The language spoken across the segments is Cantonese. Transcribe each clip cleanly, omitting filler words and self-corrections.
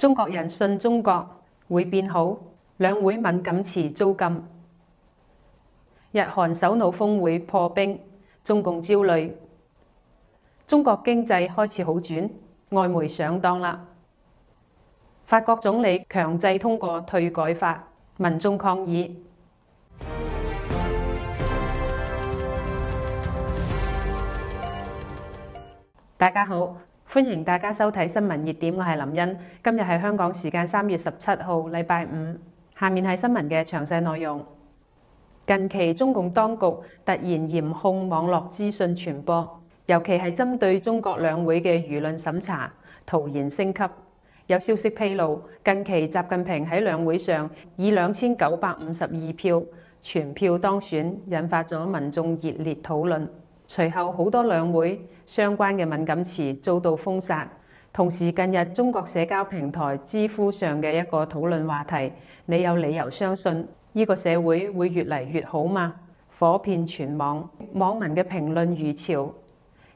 中國人信中國會變好，兩會敏感詞遭禁。日韓首腦峰會破冰，中共焦慮。中國經濟開始好轉，外媒上當啦。法國總理強制通過退改法，民眾抗議。大家好，歡迎大家收睇新聞熱點，我係林茵。今日係香港時間3月17號，禮拜五。下面係新聞嘅詳細內容。近期中共當局突然嚴控網絡資訊傳播，尤其係針對中國兩會嘅輿論審查，突然升級。有消息披露，近期習近平喺兩會上以2952票全票當選，引發咗民眾熱烈討論。隨後好多兩會相關嘅敏感詞遭到封殺。同時近日中國社交平台知乎上嘅一個討論話題，你有理由相信呢個社會會越嚟越好嗎？火遍全網，網民嘅評論如潮，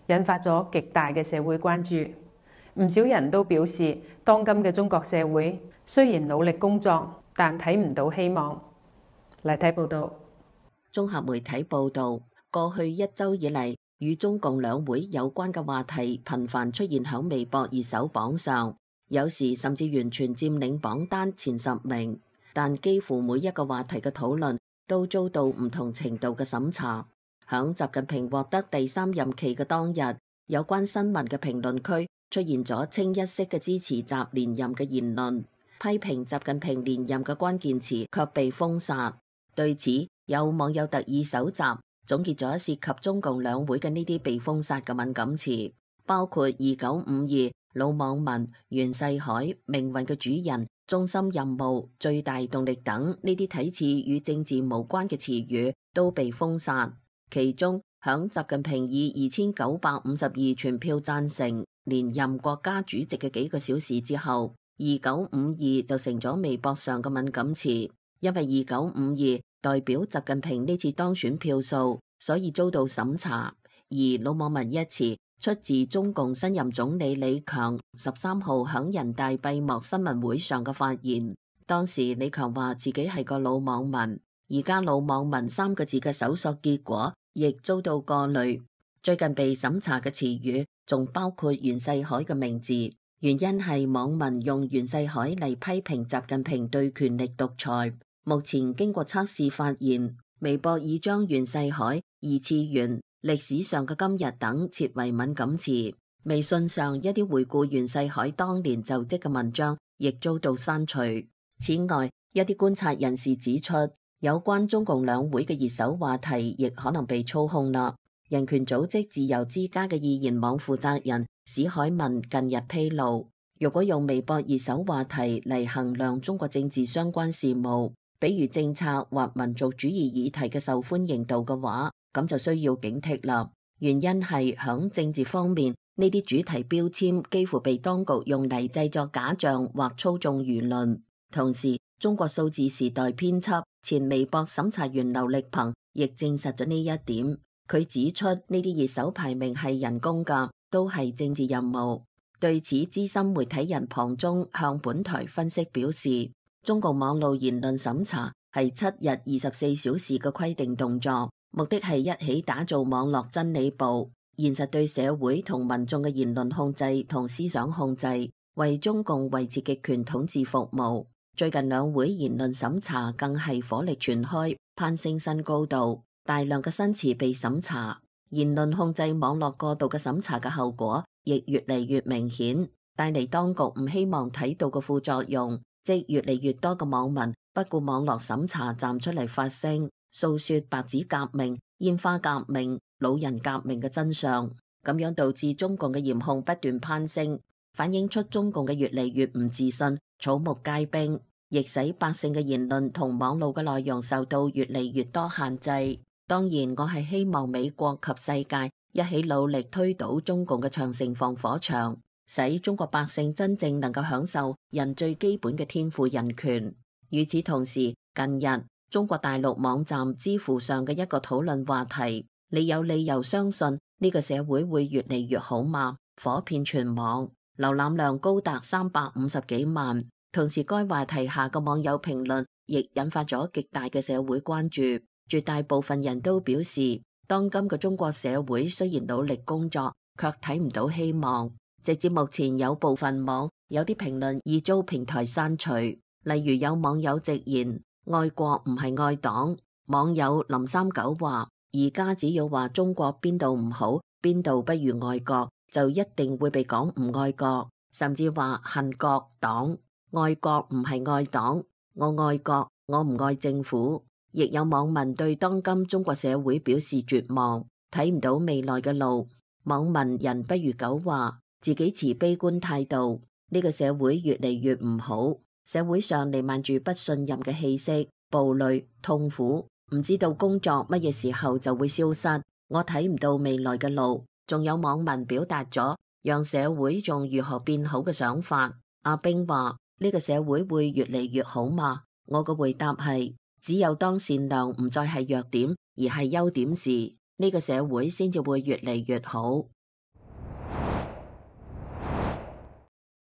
引發咗極大嘅社會關注。唔少人都表示，當今嘅中國社會雖然努力工作，但睇唔到希望。嚟睇報道。綜合媒體報道，過去一週以嚟，與中共兩會有關嘅話題頻繁出現喺微博熱搜榜上，有時甚至完全佔領榜單前10名。但幾乎每一個話題嘅討論都遭到唔同程度嘅審查。響習近平獲得第3任期嘅當日，有關新聞嘅評論區出現咗清一色嘅支持習連任嘅言論，批評習近平連任嘅關鍵詞卻被封殺。對此，有網友特意搜集總結咗涉及中共兩會嘅呢啲被封殺嘅敏感詞，包括2952、老網民、袁世凱、命運嘅主人、中心任務、最大動力等呢啲睇似與政治無關嘅詞語都被封殺。其中，響習近平以2952全票贊成連任國家主席嘅幾個小時之後，2952就成咗微博上嘅敏感詞，因為2952代表習近平呢次當選票數，所以遭到審查。而老網民一詞出自中共新任總理李強13號響人大閉幕新聞會上嘅發言。當時李強話自己係個老網民，而家老網民3個字嘅搜索結果亦遭到過濾。最近被審查嘅詞語仲包括袁世凱嘅名字，原因係網民用袁世凱嚟批評習近平對權力獨裁。目前經過測試發現，微博已將袁世凱、二次元、歷史上嘅今日等設為敏感詞。微信上一啲回顧袁世凱當年就職嘅文章亦遭到刪除。此外，一啲觀察人士指出，有關中共兩會嘅熱搜話題亦可能被操控啦。人權組織自由之家嘅易言網負責人史凱文近日披露，如果用微博熱搜話題嚟衡量中國政治相關事務，比如政策或民族主義議題嘅受歡迎度嘅話，咁就需要警惕啦。原因係響政治方面，呢啲主題標籤幾乎被當局用嚟製作假象或操縱輿論。同時，中國數字時代編輯、前微博審查員劉力鵬亦證實咗呢一點。佢指出，呢啲熱搜排名係人工㗎，都係政治任務。對此，資深媒體人龐中向本台分析表示，中共網絡言論審查係7日24小時嘅規定動作，目的係一起打造網絡真理部，現實對社會同民眾嘅言論控制同思想控制，為中共維持極權統治服務。最近兩會言論審查更係火力全開，攀升新高度，大量嘅新詞被審查，言論控制網絡過度嘅審查嘅後果亦越嚟越明顯，帶嚟當局唔希望睇到嘅副作用，即越嚟越多嘅網民不顧網絡審查站出嚟發聲，訴說白紙革命、煙花革命、老人革命嘅真相，咁樣導致中共嘅嚴控不斷攀升，反映出中共嘅越嚟越唔自信，草木皆兵，亦使百姓嘅言論同網絡嘅內容受到越嚟越多限制。當然，我係希望美國及世界一起努力推倒中共嘅長城防火牆，使中國百姓真正能夠享受人最基本嘅天賦人權。與此同時，近日中國大陸網站知乎上嘅一個討論話題，你有理由相信呢個社會會越嚟越好嗎？火遍全網。瀏覽量高達350幾萬。同時，該話題下嘅網友評論亦引發咗極大嘅社會關注。絕大部分人都表示，當今嘅中國社會雖然努力工作，卻睇唔到希望。直至目前，有部分網有啲評論已遭平台刪除。例如有網友直言：愛國唔係愛黨。網友林39話：而家只要話中國邊度唔好，邊度不如愛國，就一定會被講唔愛國，甚至話恨國黨。愛國唔係愛黨，我愛國，我唔愛政府。亦有網民對當今中國社會表示絕望，睇唔到未來嘅路。網民人不如狗話，自己持悲觀態度。呢個社會越嚟越唔好，社會上彌漫住不信任嘅氣息，暴戾、痛苦，唔知道工作乜嘢時候就會消失。我睇唔到未來嘅路。仲有網民表達咗讓社會仲如何變好嘅想法。阿兵話：呢個社會會越嚟越好嘛？我嘅回答係：只有當善良唔再係弱點，而係優點時，呢個社會先至會越嚟越好。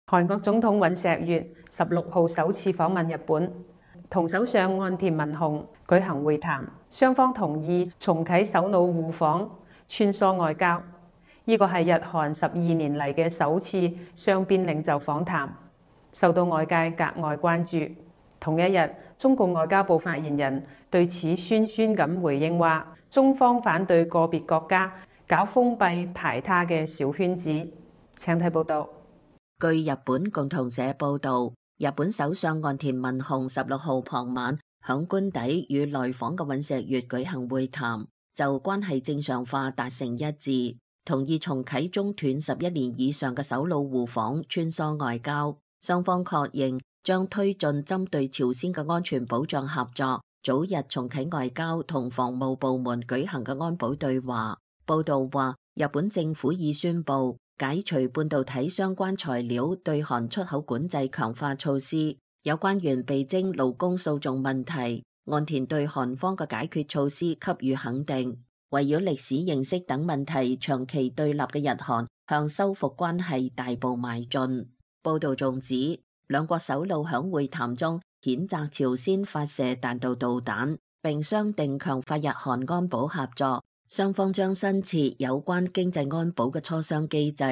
韓國總統尹錫悅16號首次訪問日本，同首相岸田文雄舉行會談，雙方同意重啟首腦互訪，穿梭外交。呢個係日韓12年嚟嘅首次雙邊領袖訪談，受到外界格外關注。同一日，中共外交部發言人對此酸酸咁回應話：中方反對個別國家搞封閉排他嘅小圈子。請睇報道。據日本共同社報道，日本首相岸田文雄16號傍晚響官邸與來訪嘅尹錫悅舉行會談，就關係正常化達成一致，同意重啟中斷11年以上嘅首腦互訪穿梭外交。雙方確認將推進針對朝鮮嘅安全保障合作，早日重啟外交同防務部門舉行嘅安保對話。報道話，日本政府已宣布解除半導體相關材料對韓出口管制強化措施。有關原被徵勞工訴訟問題，岸田對韓方嘅解決措施給予肯定。圍繞歷史認識等問題長期對立嘅日韓向修復關係大步邁進。報道仲指，兩國首腦響會談中譴責朝鮮發射彈道導彈，並商定強化日韓安保合作。雙方將新設有關經濟安保嘅磋商機制，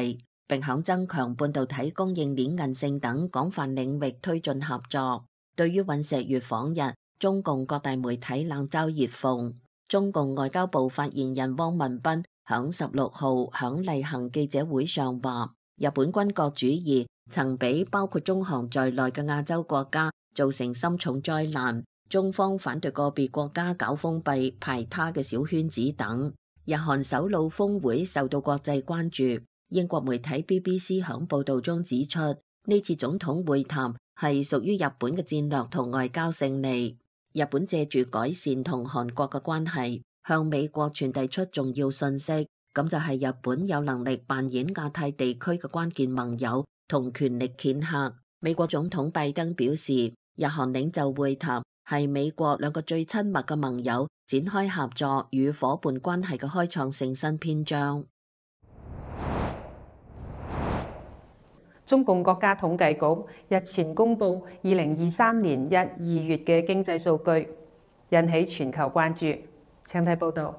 並響增強半導體供應鏈韌性等廣泛領域推進合作。對於尹錫悅訪日，中共各大媒體冷嘲熱諷。中共外交部發言人汪文斌響16號響例行記者會上話：日本軍國主義曾俾包括中韓在內嘅亞洲國家造成深重災難。中方反對個別國家搞封閉排他嘅小圈子等。日韓首腦峰會受到國際關注。英國媒體 BBC 響報道中指出，呢次總統會談係屬於日本嘅戰略同外交勝利。日本借住改善同韓國嘅關係，向美國傳遞出重要信息，咁就係日本有能力扮演亞太地區嘅關鍵盟友同權力掮客。美國總統拜登表示，日韓領袖會談係美國兩個最親密嘅盟友展開合作與夥伴關係嘅開創性新篇章。中共國家統計局日前公布2023年1、2月嘅經濟數據，引起全球關注。請睇報道。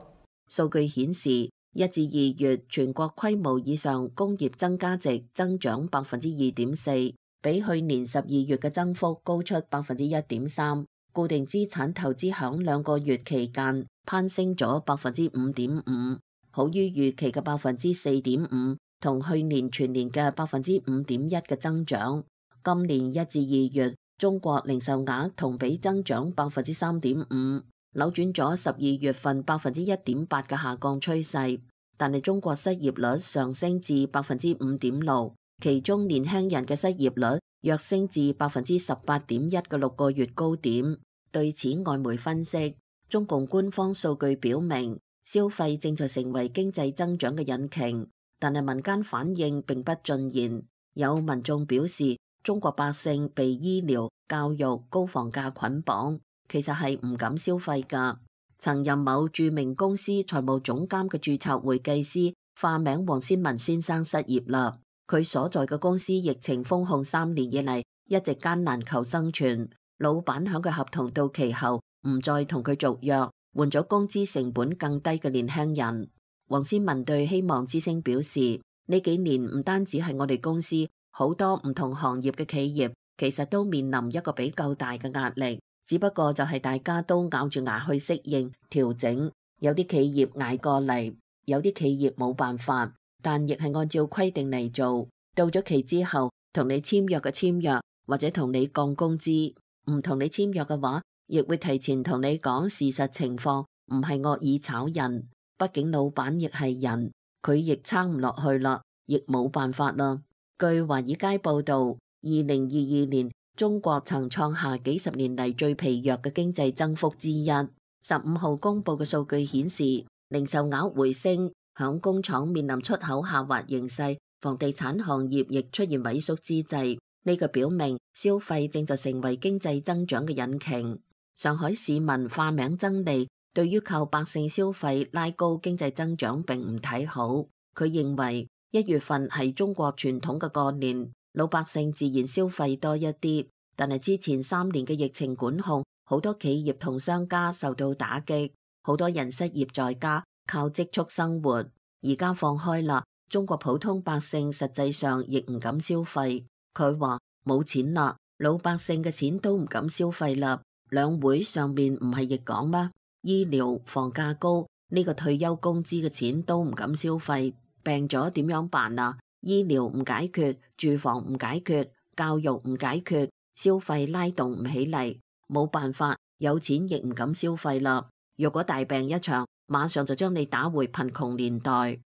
數據顯示，1至2月全國規模以上工業增加值增長2.4%，比去年12月嘅增幅高出1.3%。固定資產投資響2個月期間攀升咗5.5%，好於預期嘅4.5%，同去年全年嘅5.1%嘅增長。今年1至2月，中國零售額同比增長3.5%，扭轉咗12月份1.8%嘅下降趨勢。但係中國失業率上升至5.6%，其中年輕人嘅失業率躍升至18.1%嘅6個月高點。對此，外媒分析，中共官方數據表明，消費正在成為經濟增長嘅引擎，但係民間反應並不盡然。有民眾表示，中國百姓被醫療、教育、高房價捆綁，其實係唔敢消費㗎。曾任某著名公司財務總監嘅註冊會計師化名黃先文先生失業啦。佢所在嘅公司疫情封控3年以嚟，一直艱難求生存。老闆響佢合同到期後唔再同佢續約，換咗工資成本更低嘅年輕人。黃思文對希望之聲表示，呢幾年唔單止係我哋公司，好多唔同行業嘅企業其實都面臨一個比較大嘅壓力，只不過就係大家都咬住牙去適應調整。有啲企業捱過嚟，有啲企業冇辦法，但亦係按照規定嚟做。到咗期之後，同你簽約嘅簽約，或者同你降工資；唔同你簽約嘅話，亦會提前同你講事實情況，唔係惡意炒人。畢竟老闆亦係人，佢亦撐唔落去啦，亦冇辦法啦。據華爾街報道，2022年中國曾創下幾十年嚟最疲弱嘅經濟增幅之一。15號公佈嘅數據顯示，零售額回升，響工廠面臨出口下滑形勢，房地產行業亦出現萎縮之際。呢個表明消費正在成為經濟增長嘅引擎。上海市民化名曾利對於靠百姓消費拉高經濟增長並唔睇好。佢認為1月份係中國傳統嘅過年，老百姓自然消費多一啲，但係之前3年嘅疫情管控，好多企業同商家受到打擊，好多人失業在家，靠積蓄生活。而家放開啦，中國普通百姓實際上亦唔敢消費。佢話冇錢啦，老百姓嘅錢都唔敢消費啦。兩會上面唔係亦講咩？醫療房價高，呢個退休工資嘅錢都唔敢消費，病咗點樣辦啊？醫療唔解決，住房唔解決，教育唔解決，消費拉動唔起嚟，冇辦法，有錢亦唔敢消費啦。若果大病一場，馬上就將你打回貧窮年代。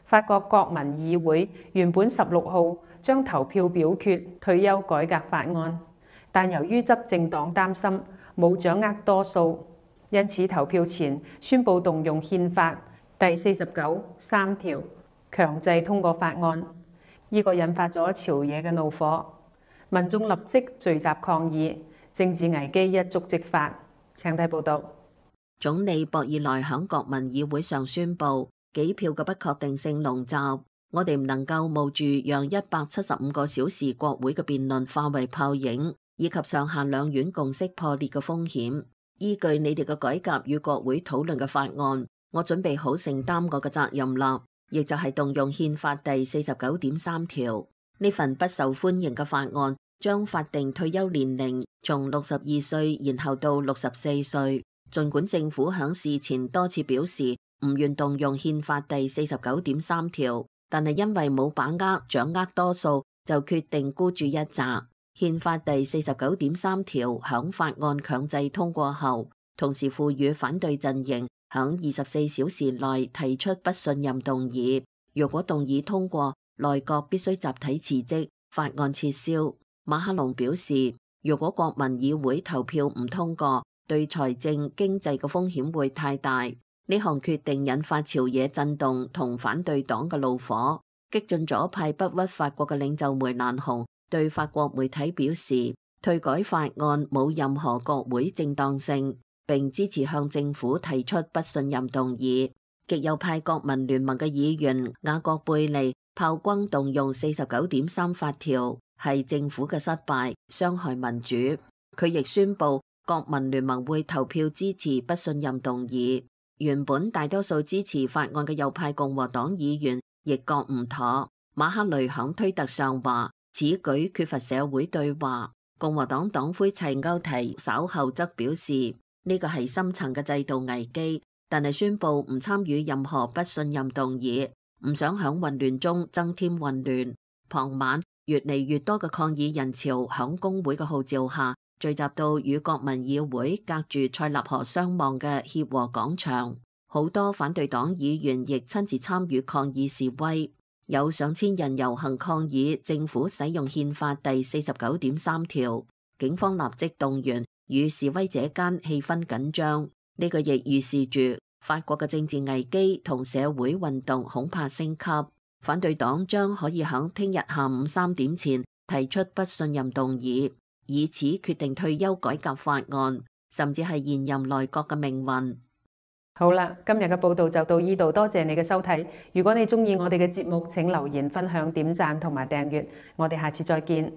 法國國民議會原本16號將投票表決退休改革法案，但由於執政黨擔心冇掌握多數，因此投票前宣布動用憲法第49(3) 條強制通過法案。呢個引發咗朝野嘅怒火，民眾立即聚集抗議，政治危機一觸即發。請睇報道。總理博爾內響國民議會上宣布，幾票嘅不確定性籠罩，我哋唔能夠冒住讓175個小時國會嘅辯論化為泡影，以及上下兩院共識破裂嘅風險。依據你哋嘅改革與國會討論嘅法案，我準備好承擔我嘅責任啦，亦就係動用憲法第49.3條。呢份不受歡迎嘅法案將法定退休年齡從62歲延後到64歲。儘管政府響事前多次表示唔願動用憲法第49.3條，但係因為冇把握掌握多數，就決定孤注一擲。憲法第49.3條響法案強制通過後，同時賦予反對陣營響24小時內提出不信任動議。若果動議通過，內閣必須集體辭職，法案撤銷。馬克龍表示，如果國民議會投票唔通過，對財政經濟嘅風險會太大。呢項決定引發朝野震動同反對黨嘅怒火。激進左派不屈法國嘅領袖梅蘭雄對法國媒體表示，退改法案冇任何國會正當性，並支持向政府提出不信任動議。極右派國民聯盟嘅議員雅各貝利炮轟動用49.3法條係政府嘅失敗，傷害民主。佢亦宣布國民聯盟會投票支持不信任動議。原本大多數支持法案嘅右派共和黨議員亦覺唔妥。馬克雷響推特上話，此舉缺乏社會對話。共和黨黨魁齊歐提稍後則表示，呢個係深層嘅制度危機，但係宣布唔參與任何不信任動議，唔想響混亂中增添混亂。傍晚，越嚟越多嘅抗議人潮響工會嘅號召下，聚集到與國民議會隔住塞納河相望嘅協和廣場，好多反對黨議員亦親自參與抗議示威，有上千人遊行抗議政府使用憲法第49.3條，警方立即動員，與示威者間氣氛緊張。呢個亦預示住法國嘅政治危機同社會運動恐怕升級，反對黨將可以喺聽日下午3點前提出不信任動議，以此決定退休改革法案，甚至係現任內閣嘅命運。好啦，今日嘅報道就到呢度，多謝你嘅收睇。如果你鍾意我哋嘅節目，請留言、分享、點讚同埋訂閱。我哋下次再見。